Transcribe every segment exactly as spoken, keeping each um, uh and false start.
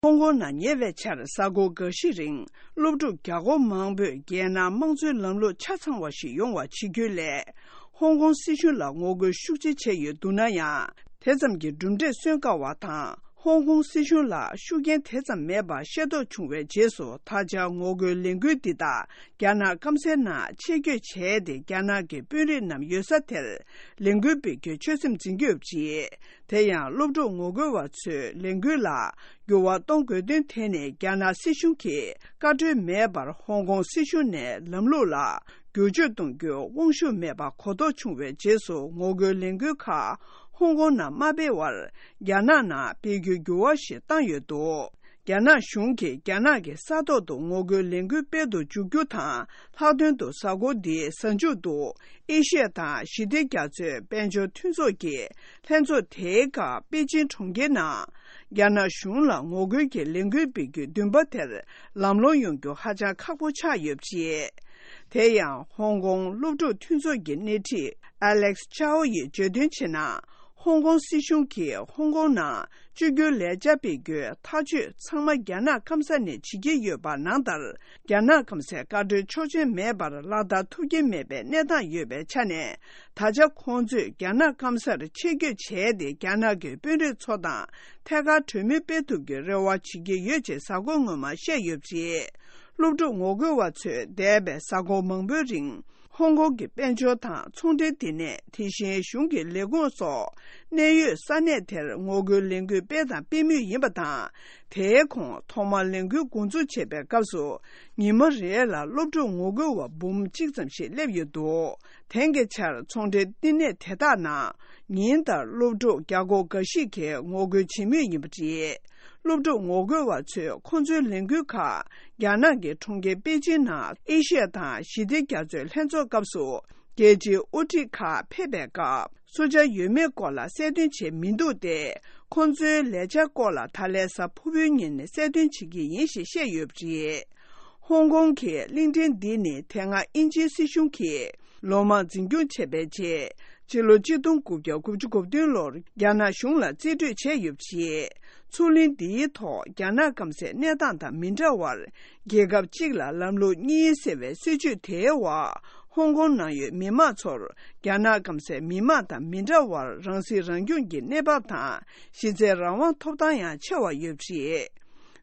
ཧོང་ཀོང་ནང་ཉེ་བའི་ཆར་གཟའ་འཁོར་འགའ་ཤས་རིང་སློབ་ཕྲུག་བརྒྱ་སྐོར་མང་པོས་རྒྱལ་ནང་དམངས་གཙོའི་ལམ་ལུགས་ཆ་ཚང་བ་ཞིག་ཡོང་བ་བྱེད་རྒྱུའི་སླད། ཧོང་ཀོང་སྲིད་གཞུང་ལ་ངོ་རྒོལ་ཤུགས་ཆེ་བྱས་ཡོད་འདུག་ན་ཡང་། དེ་ཙམ་གྱི་གྲུབ་འབྲས་སོན་དཀའ་བ་དང་། ཧོང་ཀོང་སྲིད་གཞུང་ལ་ཤུགས་རྐྱེན་དེ་ཙམ་མེད་པ་ཤེས་རྟོགས་བྱུང་བའི་རྗེས་སུ། ད་ཆ་ངོ་རྒོལ་ལས་འགུལ་འདི་དག་རྒྱ་ནག་སྐམ་སའི་ནང་ཆེད་བསྐྱོད་བྱས་ཏེ། རྒྱ་ནག་གི་དཔོན་རིགས་རྣམས་ཡོད་ས་དེར་ལས་འགུལ་སྤེལ་རྒྱུའི་ཆོད་སེམས་འཛིན་གྱི་ཡོད་པ་རེད། དེ་ཡང་སློབ་ཕྲུག་ངོ་རྒོལ་བ་ཚོས་ལས་འགུལ་ལ་འགྱུར་བ་གཏོང་དགོས་དོན་དེ་ནི། རྒྱ་ནག་སྲིད་གཞུང་གིས་བཀའ་འཁྲོལ་མེད་པར་ཧོང་ཀོང་སྲིད་གཞུང་ནས་ལམ་ལུགས་ལ་བསྒྱུར་བཅོས་གཏོང་རྒྱུར་དབང་ཤུགས་མེད་པ་གོ་རྟོགས་བྱུང་བའི་རྗེས་སུ། ངོ་རྒོལ་ལས་འགུལ་ཁག་ཧོང་ཀོང་ནང་མ་སྤེལ་བར། རྒྱ་ནག་ནང་སྤེལ་རྒྱུའི་འགྱུར་བ་ཞིག་བཏང་ཡོད་འདུག་རྒྱ་ནག་གཞུང་གིས་རྒྱ་ནག་གི་ས་ཐོག་ཏུ་ངོ་རྒོལ་ལས་འགུལ་སྤེལ་དུ་འཇུག་རྒྱུ་དང་། ལྷག་དོན་དུ་གཟའ་འཁོར་འདིའི་གཟའ་མཇུག་ཏུ། ཨེ་ཤི་ཡ་དང་ཞི་བདེ་རྒྱ་མཚོའི་དཔལ་འབྱོར་མཐུན་ཚོགས་ཀྱི་ལྷན་ཚོགས་དེའི་སྐབས་པེ་ཅིན་གྲོང་ཁྱེར་ནང་། རྒྱ་ནག་གཞུང་ལ་ངོ་རྒོལ་གྱི་ལས་འགུལ་སྤེལ་རྒྱུའི་འདུན་པ་དེར་ལམ་ལྷོང་ཡོང་རྒྱུ་ཧ་ཅང་ཁག་པོ་ཆགས་ཡོད་པ་རེད། དེ་ཡང་ཧོང་ཀོང་སློབ་ཕྲུག་མཐུན་ཚོགས་ཀྱི་སྣེ་ཁྲིད་ཨ་ལེག་ཅའོ་ཡིས་བརྗོད་དོན་བྱས་ན། ཧོང་ཀོང་སྲིད་གཞུང་གིས་ཧོང་ཀོང་ནང་བཅོས་བསྒྱུར་ལས་འཆར་སྤེལ་རྒྱུའི་ཐག་གཅོད་ཚང་མ་རྒྱ་ནག་སྐམ་ས་ནས་བྱེད་ཀྱི་ཡོད་པ་ནང་ལྟར། རྒྱ་ནག་སྐམ་སའི་བཀའ་འཁྲོལ་ཆོག་མཆན་མེད་པར་ལག་བསྟར་ཐུབ་ཀྱི་མེད་པའི་གནས་སྟངས་ཡོད་པའི་ཆ་ནས། ད་ཆ་ཁོང་ཚོས་རྒྱ་ནག་སྐམ་སར་ཆེད་བསྐྱོད་བྱས་ཏེ། རྒྱ་ནག་གི་དཔོན་རིགས་ཚོ་དང་ཐད་ཀར་གྲོས་མོལ་སྤེལ་ཐུབ་རྒྱུའི་རེ་བ་བྱེད་ཀྱི་ཡོད་ཅེས་གཟའ་འཁོར་སྔོན་མ་བཤད་ཡོད་པ་རེད། སློབ་ཕྲུག་ངོ་རྒོལ་བ་ཚོས་འདས་པའི་གཟའ་འཁོར་མང་པོའི་རིང་། ཧོང་ཀོང་གི་དཔལ་འབྱོར་དང་ཚོང་འབྲེལ་ལྟེ་གནས། དེ་བཞིན་གཞུང་གི་ལས་ཁུངས་སོགས་གནད་ཡོད་ས་གནས་དེར་ངོ་རྒོལ་ལས་འགུལ་སྤེལ་དང་སྤེལ་མུས་ཡིན་པ་དང་། དེའི་གོང་ཐོག་མར་ལས་འགུལ་འགོ་འཛུགས་བྱེད་པའི་སྐབས་སུ། ཉི་མ་རེ་ལ་སློབ་ཕྲུག་ངོ་རྒོལ་བ་འབུམ་གཅིག་ཙམ་ཞིག་སླེབས་ཡོད་འདུག་དེང་གི་ཆར་ཚོང་འབྲེལ་བསྟི་གནས་དེ་དག་ནང་ཉིན་ལྟར་སློབ་ཕྲུག་བརྒྱ་སྐོར་འགའ་ཞིག་གིས་ངོ་རྒོལ་བྱེད་མུས་ཡིན་པ་རེད། སློབ་ཕྲུག་ངོ་རྒོལ་བ་ཚོས་ཁོང་ཚོའི་ལས་འགུལ་ཁག་རྒྱ་ནག་གི་གྲོང་ཁྱེར་པེ་ཅིན་ནང་ཨེ་ཤི་ཡ་དང་ཞི་བདེ་རྒྱ་མཚོའི་ལྷན་ཚོགས་སྐབས་སུ། རྒྱལ་སྤྱིའི་དབུ་ཁྲིད་ཁག་ཕེབས་པའི་སྐབས། སུ་ཇཱ་ཡོད་མེད་སྐོར་ལ་གསལ་སྟོན་བྱས་མི་འདུག་སྟེ། ཁོང་ཚོའི་ལས་འཆར་སྐོར་ལ་ད་ལན་གཟའ་ཕུར་བུའི་ཉིན་གསལ་སྟོན་བྱེད་ཀྱི་ཡིན་ཞེས་བཤད་ཡོད་པ་རེད། ཧོང་ཀོང་གི་གླིང་ཕྲན་འདི་ནི་དེ་སྔ་དབྱིན་ཇིའི་སྲིད་གཞུང་གིས་ལོ་མང་འཛིན་སྐྱོང་བྱས་པའི་རྗེས། སྤྱི་ལོ་ཆིག་སྟོང་དགུ་བརྒྱ་དགུ་བཅུ་གོ་བདུན་ལོར་རྒྱ་ནག་གཞུང་ལ་རྩིས་སྤྲོད་བྱས་ཡོད་པ་རེད། མཚོ་གླིང་འདིའི་ཐོག་རྒྱ་ནག་སྐམ་སའི་གནས་སྟངས་དང་མི་འདྲ་བར། རྒྱལ་ཁབ་གཅིག་ལ་ལམ་ལུགས་གཉིས་ཟེར་བའི་སྲིད་བྱུས་དེའི་འོག་ཧོང་ཀོང་ནང་ཡོད་མི་མང་ཚོར་རྒྱ་ནག་སྐམ་སའི་མི་མང་དང་མི་འདྲ་བར་རང་སྲིད་རང་སྐྱོང་གི་གནས་བབ་དང་། གཞི་རྩའི་རང་དབང་ཐོབ་ཐང་ཡང་ཆེ་བ་ཡོད་པ་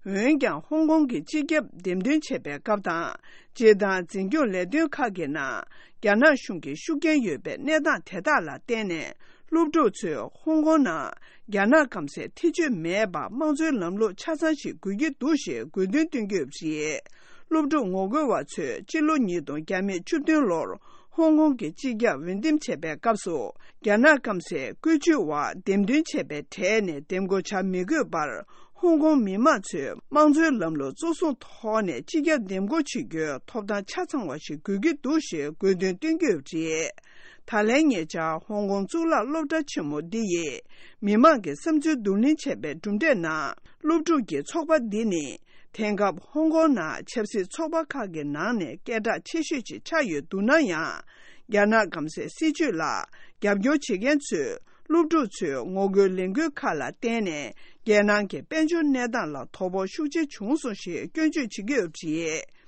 རེད། འོན་ཀྱང་། ཧོང་ཀོང་གི་སྤྱི་ཁྱབ་འདེམས་ཐོན་བྱེད་པའི་སྐབས་དང་། སྤྱིར་བཏང་འཛིན་སྐྱོང་ལས་དོན་ཁག་གི་ནང་། རྒྱ་ནག་གཞུང་གི་ཤུགས་རྐྱེན་ཡོད་པའི་གནས་སྟངས་དེ་དག་ལ་བརྟེན་ནས། སློབ་ཕྲུག་ཚོས་ཧོང་ཀོང་ནང་རྒྱ་ནག་སྐམ་སའི་ཐེ་བྱུས་མེད་པ་དམངས་གཙོའི་ལམ་ལུགས་ཆ་ཚང་ཞིག་དགོས་ཀྱི་འདུག་ཞེས་དགོས་འདུན་བཏོན་གྱི་ཡོད་པ་རེད། སློབ་ཕྲུག་ངོ་རྒོལ་བ་ཚོས་སྤྱི་ལོ་ཉིས་སྟོང་བརྒྱ་མེད་བཅུ་བདུན་ལོར་ཧོང་ཀོང་གི་སྤྱི་ཁྱབ་འོས་འདེམས་བྱས་པའི་སྐབས་སུ། རྒྱ་ནག་སྐམ་སའི་བཀོད་ཇུས་འོག་འདེམས་ཐོན་བྱས་པའི་གྲས་ནས་འདེམས་བསྐོ་བྱ་མི་དགོས་པར། ཧོང་ཀོང་མི་མང་ཚོས་དམངས་གཙོའི་ལམ་ལུགས་གཙོ་བཟུང་ཐོག་ནས་སྤྱི་ཁྱབ་འདེམས་བསྐོ་བྱེད་རྒྱུའི་ཐོབ་ཐང་ཆ་ཚང་བ་ཞིག་དགོས་ཀྱི་འདུག་ཞེས་དགོས་འདུན་བཏོན་གྱི་ཡོད་པ་རེད། ད་ལན་ཉེ་ཆར་ཧོང་ཀོང་གཙུག་ལག་སློབ་གྲྭ་ཆེན་མོ་འདི་ཡིས་མི་མང་གི་བསམ་ཚུལ་བསྡུ་ལེན་བྱས་པའི་གྲུབ་འབྲས་ནང་། སློབ་ཕྲུག་གི་ཚོགས་པ་འདི་ནི་དེང་སྐབས་ཧོང་ཀོང་ནང་ཆབ་སྲིད་ཚོགས་པ་ཁག་གི་ནང་ནས་སྐད་གྲགས་ཆེ་ཤོས་ཤིག་ཆགས་ཡོད་འདུག་ན་ཡང་། རྒྱ་ནག་སྐམ་སའི་སྲིད་བྱུས་ལ་རྒྱབ་སྐྱོར་བྱེད་མཁན་ཚོས། སློབ་ཕྲུག་ཚོའི་ངོ་རྒོལ་ལས་འགུལ་ཁག་ལ་བརྟེན་ནས། རྒྱལ་ནང་གི་དཔལ་འབྱོར་གནས་སྟངས་ལ་དོ་ཕོག་ཤུགས་ཆེ་བྱུང་སོང་ཞེས་སྐྱོན་བརྗོད་བྱེད་ཀྱི་ཡོད་པ་རེད།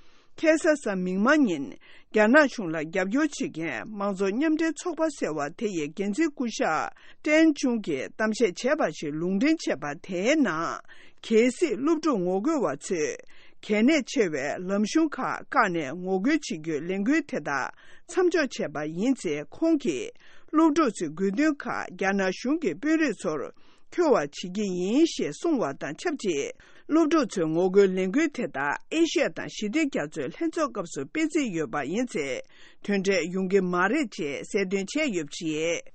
ཁ་སང་གཟའ་མིག་དམར་ཉིན། རྒྱ་ནག་གཞུང་ལ་རྒྱབ་སྐྱོར་བྱེད་མཁན་མང་གཙོ་མཉམ་འབྲེལ་ཚོགས་པ་ཟེར་བ་དེ་ཡི་འགན་འཛིན་སྐུ་ཞབས་ཀྲན་ཅུང་གིས་གཏམ་བཤད་བྱས་པ་ཞིག་ལུང་འདྲེན་བྱས་པ་དེའི་ནང་། གལ་སྲིད་སློབ་ཕྲུག་ངོ་རྒོལ་བ་ཚོས་གལ་གནད་ཆེ་བའི་ལམ་གཞུང་ཁག་བཀག་ནས་ངོ་རྒོལ་བྱེད་རྒྱུའི་ལས་འགུལ་དེ་དག་མཚམས་འཇོག་བྱས་པ་ཡིན་ཚེ། ཁོང་གིས་སློབ་ཕྲུག་ཚོའི་དགོས་འདུན་ཁག་རྒྱ་ནག་གཞུང་གི་དཔོན་རིགས་ཚོར་འཁྱོལ་བ་བྱེད་ཀྱི་ཡིན་ཞེས་གསུངས་བ་དང་ཆབས་ཅིག་སློབ་ཕྲུག་ཚོའི་ངོ་རྒོལ་ལས་འགུལ་དེ་དག་ཨེ་ཤི་ཡ་དང་ཞི་བདེ་རྒྱ་མཚོའི་ལྷན་ཚོགས་སྐབས་སུ་སྤེལ་རྩིས་ཡོད་པ་ཡིན་ཚེ། དོན་འབྲས་ཡོང་གི་མ་རེད་ཅེས་གསལ་སྟོན་བྱས་ཡོད་པ་རེད།